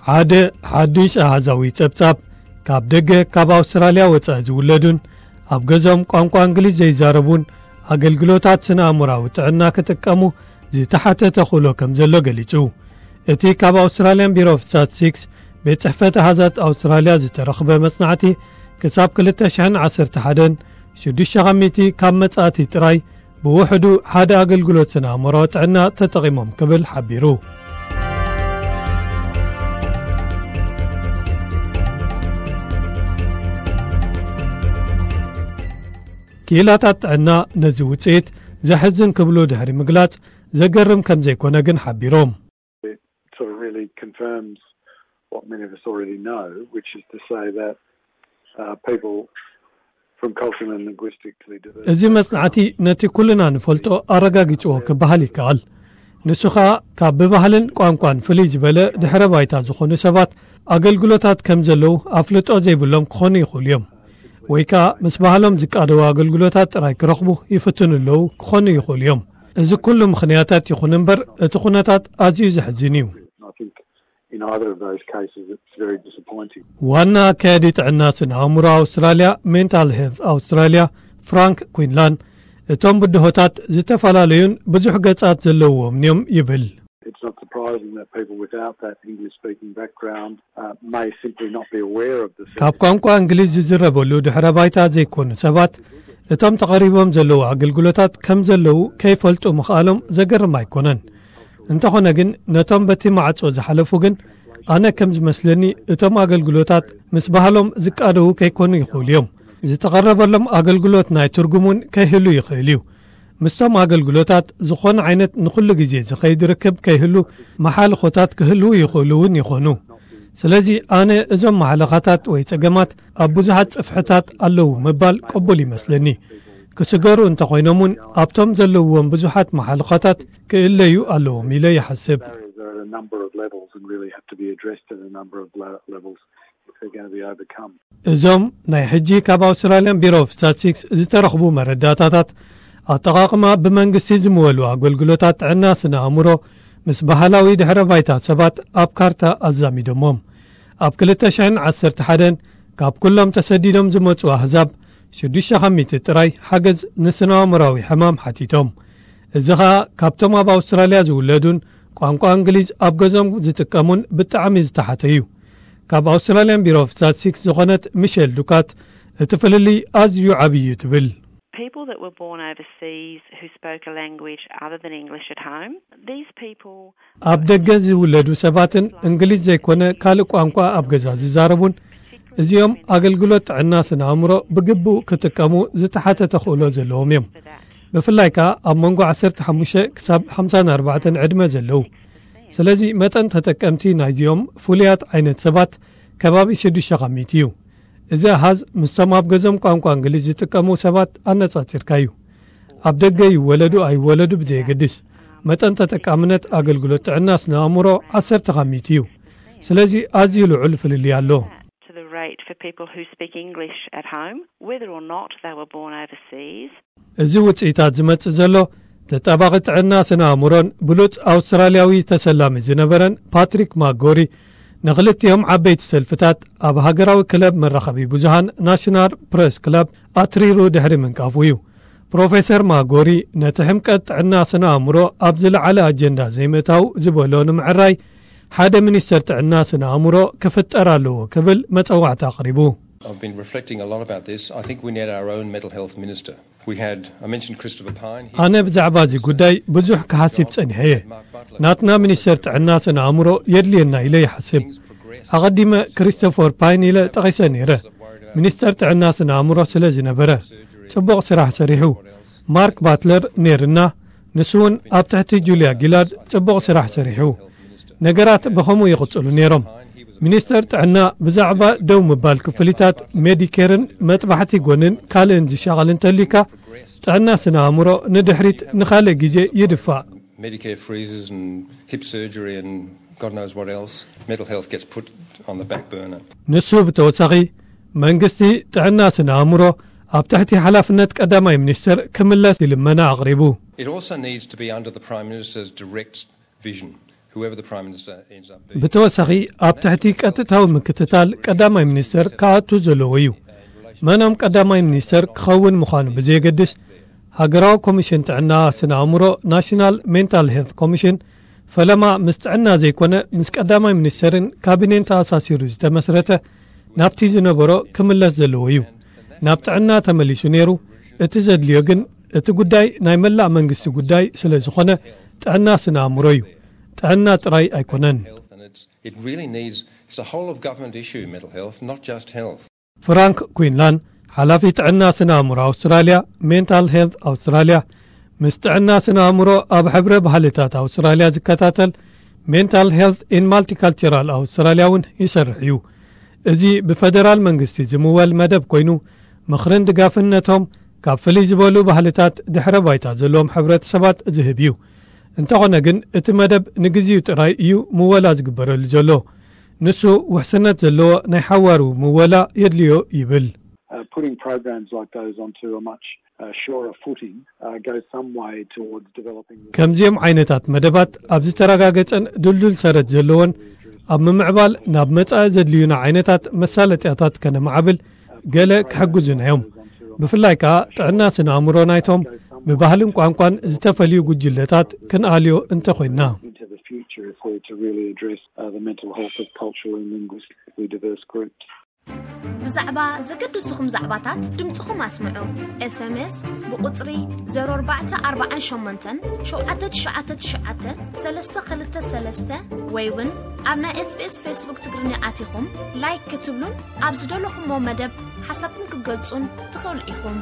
ሓደ ሓድሽ ኣሃዛዊ ጸብጻብ፣ ካብ ደገ ካብ ኣውስትራልያ ወጻኢ ዝውለዱን ኣብ ገዞም ቋንቋ እንግሊዝ ዘይዛረቡን ኣገልግሎታት ስነ ኣእምራዊ ጥዕና ክጥቀሙ ዝተሓተ ተኽእሎ ከም ዘሎ ገሊጹ። እቲ ካብ ኣውስትራልያን ቢሮ ኦፍ ስታትስቲክስ ቤት ጽሕፈት ኣሃዛት ኣውስትራልያ ዝተረኽበ መጽናዕቲ፣ ክሳብ ክልተ ሽሕን ዓሰርተ ሓደን ሽዱሽተ ካብ መጻእቲ ጥራይ ብውሕዱ ሓደ ኣገልግሎት ስነ ኣእምራዊ ጥዕና ተጠቒሞም ክብል ሓቢሩ። ክኢላታት ጥዕና ነዚ ውጽኢት ዘሕዝን ክብሉ ድሕሪ ምግላጽ፣ ዘገርም ከም ዘይኮነ ግን ሓቢሮም። It sort of really confirms what many of us already know, which is to say that uh, people from culturally and linguistically diverse እዚ መጽናዕቲ ነቲ ኩልና ንፈልጦ ኣረጋጊጽዎ ክበሃል ይከኣል። ንሱ ኸኣ ካብ ብባህልን ቋንቋን ፍልይ ዝበለ ድሕረ ባይታ ዝኾኑ ሰባት ኣገልግሎታት ከም ዘለዉ ኣፍልጦ ዘይብሎም ክኾኑ ይኽእሉ እዮም። ወይ ከኣ ምስ ባህሎም ዝቃደዉ ኣገልግሎታት ጥራይ ክረኽቡ ይፍትኑ ኣለዉ ክኾኑ ይኽእሉ እዮም። እዚ ኩሉ ምኽንያታት ይኹን እምበር፣ እቲ ኩነታት ኣዝዩ ዘሕዝን እዩ። I think in either of those cases, it's very disappointing. ዋና ኣካያዲ ጥዕና ስነ ኣእምሮ ኣውስትራልያ፣ ሜንታል ሄልት ኣውስትራልያ፣ ፍራንክ ኩንላን፣ እቶም ብድሆታት ዝተፈላለዩን ብዙሕ ገጻት ዘለዎም እዮም ይብል። It's not surprising that people without that English speaking background uh, may simply not be aware of the ካብ ቋንቋ እንግሊዝ ዝዝረበሉ ድሕረ ባይታ ዘይኮኑ ሰባት፣ እቶም ተቐሪቦም ዘለዉ ኣገልግሎታት ከም ዘለዉ ከይፈልጡ ምኽኣሎም ዘገርም ኣይኮነን። እንተኾነ ግን፣ ነቶም በቲ ማዕጾ ዝሓለፉ ግን፣ ኣነ ከም ዝመስለኒ፣ እቶም ኣገልግሎታት ምስ ባህሎም ዝቃደዉ ከይኮኑ ይኽእሉ እዮም። ዝተቐረበሎም ኣገልግሎት ናይ ትርጉም እውን ከይህሉ ይኽእል እዩ። ምስቶም ኣገልግሎታት ዝኾነ ዓይነት ንኹሉ ግዜ ዝኸይድ ርክብ ከይህሉ መሓልኾታት ክህልዉ ይኽእሉ እውን ይኾኑ። ስለዚ ኣነ እዞም መሓለኻታት ወይ ጸገማት ኣብ ብዙሓት ጽፍሕታት ኣለዉ ምባል ቅቡል ይመስለኒ። ክስገሩ እንተኾይኖም እውን ኣብቶም ዘለውዎም ብዙሓት መሓልኻታት ክእለዩ ኣለዎም ኢለ ይሓስብ። There are a number of levels and really have to be addressed at a number of le- levels if they're going to be overcome. እዞም ናይ ሕጂ ካብ ኣውስትራልያን ቢሮ ኦፍ ስታትስቲክስ ዝተረኽቡ መረዳእታታት፣ ኣጠቓቕማ ብመንግስቲ ዝምወሉ ኣገልግሎታት ጥዕና ስነ ኣእምሮ ምስ ባህላዊ ድሕረ ባይታ ሰባት ኣብ ካርታ ኣዛሚዶሞም። ኣብ ክልተ ሽሕን ዓሰርተ ሓደን ካብ ኩሎም ተሰዲዶም ዝመጹ ኣህዛብ ሽዱሽተ ካብ ሚእቲ ጥራይ ሓገዝ ንስነ ኣእምራዊ ሕማም ሓቲቶም። እዚ ኸኣ ካብቶም ኣብ ኣውስትራልያ ዝውለዱን ቋንቋ እንግሊዝ ኣብ ገዞም ዝጥቀሙን ብጣዕሚ ዝተሓተ እዩ። ካብ ኣውስትራልያን ቢሮ ኦፍ ስታትስቲክስ ዝኾነት ሚሸል ዱካት፣ እቲ ፍልልይ ኣዝዩ ዓብዪ እዩ ትብል። People that were born overseas who spoke a language other than English at home, these people ኣብ ደገ ዝውለዱ ሰባትን እንግሊዝ ዘይኮነ ካልእ ቋንቋ ኣብ ገዛ ዝዛረቡን፣ እዚኦም ኣገልግሎት ጥዕና ስነ ኣእምሮ ብግቡእ ክጥቀሙ ዝተሓተ ተኽእሎ ዘለዎም እዮም። ብፍላይ ከኣ ኣብ መንጎ ዓሰርተ ሓሙሽተ ክሳብ ሓምሳን ኣርባዕተን ዕድመ ዘለዉ። ስለዚ መጠን ተጠቀምቲ ናይዚኦም ፍሉያት ዓይነት ሰባት ከባቢ ሽዱሽተ ካብ ሚእቲ እዩ። እዚ ኣሃዝ ምስቶም ኣብ ገዞም ቋንቋ እንግሊዝ ዝጥቀሙ ሰባት ኣነጻጺርካ እዩ። ኣብ ደገ ይወለዱ ኣይወለዱ ብዘየገድስ፣ መጠን ተጠቃምነት ኣገልግሎት ጥዕና ስነ ኣእምሮ ዓሰርተ ካብ ሚእቲ እዩ። ስለዚ ኣዝዩ ልዑል ፍልልይ ኣሎ። to the rate for people who speak English at home, whether or not they were born overseas. እዚ ውጽኢታት ዝመጽእ ዘሎ፣ ተጣባቒ ጥዕና ስነ ኣእምሮን ብሉጽ ኣውስትራልያዊ ተሰላሚ ዝነበረን ፓትሪክ ማጎሪ፣ ንኽልቲኦም ዓበይቲ ሰልፍታት ኣብ ሃገራዊ ክለብ መራኸቢ ብዙሃን ናሽናል ፕረስ ክለብ ኣትሪሩ ድሕሪ ምንቃፉ እዩ። ፕሮፌሰር ማጎሪ ነቲ ሕምቀት ጥዕና ስነ ኣእምሮ ኣብ ዝለዓለ ኣጀንዳ ዘይምእታው ዝበሎ ንምዕራይ፣ ሓደ ሚኒስተር ጥዕና ስነ ኣእምሮ ክፍጠር ኣለዎ ክብል መጸዋዕታ ኣቕሪቡ። I've been reflecting a lot about this. I think we need our own mental health minister. We had, I mentioned Christopher Pyne. He ኣነ ብዛዕባ እዚ ጉዳይ ብዙሕ ክሓስብ ጸኒሐ እየ። ናትና ሚኒስተር ጥዕና ስነ ኣእምሮ የድልየና ኢለ ይሓስብ። ኣቐዲመ ክሪስቶፈር ፓይን ኢለ ጠቒሰ ነይረ። ሚኒስተር ጥዕና ስነ ኣእምሮ ስለ ዝነበረ ጽቡቕ ስራሕ ሰሪሑ። ማርክ ባትለር ነይርና፣ ንሱ እውን ኣብ ትሕቲ ጁልያ ጊላርድ ጽቡቕ ስራሕ ሰሪሑ። ነገራት ብኸምኡ ይቕጽሉ ነይሮም። ሚኒስተር ጥዕና ብዛዕባ ደው ምባል ክፍሊታት ሜዲኬርን መጥባሕቲ ጎንን ካልእን ዝሻቐል እንተልዩካ፣ ጥዕና ስነ ኣእምሮ ንድሕሪት ንኻልእ ግዜ ይድፋእ። Medicare freezes and hip surgery and God knows what else. Mental health gets put on the back burner. ንሱ ብተወሳኺ፣ መንግስቲ ጥዕና ስነ ኣእምሮ ኣብ ትሕቲ ሓላፍነት ቀዳማይ ሚኒስተር ክምለስ ልመና ኣቕሪቡ። It also needs to be under the Prime Minister's direct vision. Whoever the Prime Minister ends up being. ብተወሳኺ ኣብ ትሕቲ ቀጥታዊ ምክትታል ቀዳማይ ሚኒስተር ክኣቱ ዘለዎ እዩ። መኖም ቀዳማይ ሚኒስተር ክኸውን ምዃኑ ብዘየገድስ፣ ሃገራዊ ኮሚሽን ጥዕና ስነ ኣእምሮ፣ ናሽናል ሜንታል ሄልት ኮሚሽን፣ ፈለማ ምስ ጥዕና ዘይኮነ ምስ ቀዳማይ ሚኒስተርን ካቢኔን ተኣሳሲሩ ዝተመስረተ፣ ናብቲ ዝነበሮ ክምለስ ዘለዎ እዩ። ናብ ጥዕና ተመሊሱ ነይሩ። እቲ ዘድልዮ ግን እቲ ጉዳይ ናይ መላእ መንግስቲ ጉዳይ ስለ ዝኾነ ጥዕና ስነ ኣእምሮ እዩ። ጥዕና ጥራይ ኣይኮነን። It really needs, it's a whole of government issue, mental health, not just health. ፍራንክ ኩንላን፣ ሓላፊ ጥዕና ስነ ኣእምሮ ኣውስትራልያ፣ ሜንታል ሄልት ኣውስትራልያ፣ ምስ ጥዕና ስነ ኣእምሮ ኣብ ሕብረ ባህልታት ኣውስትራልያ ዝከታተል ሜንታል ሄልት ኢን ማልቲካልቸራል ኣውስትራልያ እውን ይሰርሕ እዩ። እዚ ብፈደራል መንግስቲ ዝምወል መደብ ኮይኑ፣ ምኽርን ድጋፍን ነቶም ካብ ፍልይ ዝበሉ ባህልታት ድሕረ ባይታ ዘለዎም ሕብረተሰባት ዝህብ እዩ። እንተኾነ ግን እቲ መደብ ንግዚኡ ጥራይ እዩ ምወላ ዝግበረሉ ዘሎ። ንሱ ውሕስነት ዘለዎ ናይ ሓዋሩ ምወላ የድልዮ ይብል። Uh, putting programs like those onto a much uh, surer footing uh, goes some way towards developing. ከምዚኦም ዓይነታት መደባት ኣብ ዝተረጋገጸን ድልዱል ሰረት ዘለዎን ኣብ ምምዕባል ናብ መጻኢ ዘድልዩና ዓይነታት መሳለጥያታት ከነማዕብል ገለ ክሕግዙና እዮም። ብፍላይ ከኣ ጥዕና ስነ ኣእምሮ ናይቶም ብባህልን ቋንቋን ዝተፈልዩ ጉጅለታት ክንኣልዮ እንተኾይንና። Into the future, if we're to really address uh, the mental health of culturally and linguistically diverse groups. ብዛዕባ ዘገድሱኹም ዛዕባታት ድምፅኹም ኣስምዑ። ኤስኤምኤስ ብቁፅሪ ዜሮ ኣርባዕተ ኣርባዓን ሸሞንተን ሸውዓተ ትሽዓተ ትሽዓተ ሰለስተ ክልተ ሰለስተ ወይ እውን ኣብ ናይ ኤስቢኤስ ፌስቡክ ትግርኛ ኣቲኹም ላይክ ክትብሉን ኣብ ዝደለኹሞ መደብ ሓሳብኩም ክትገልጹን ትኽእሉ ኢኹም።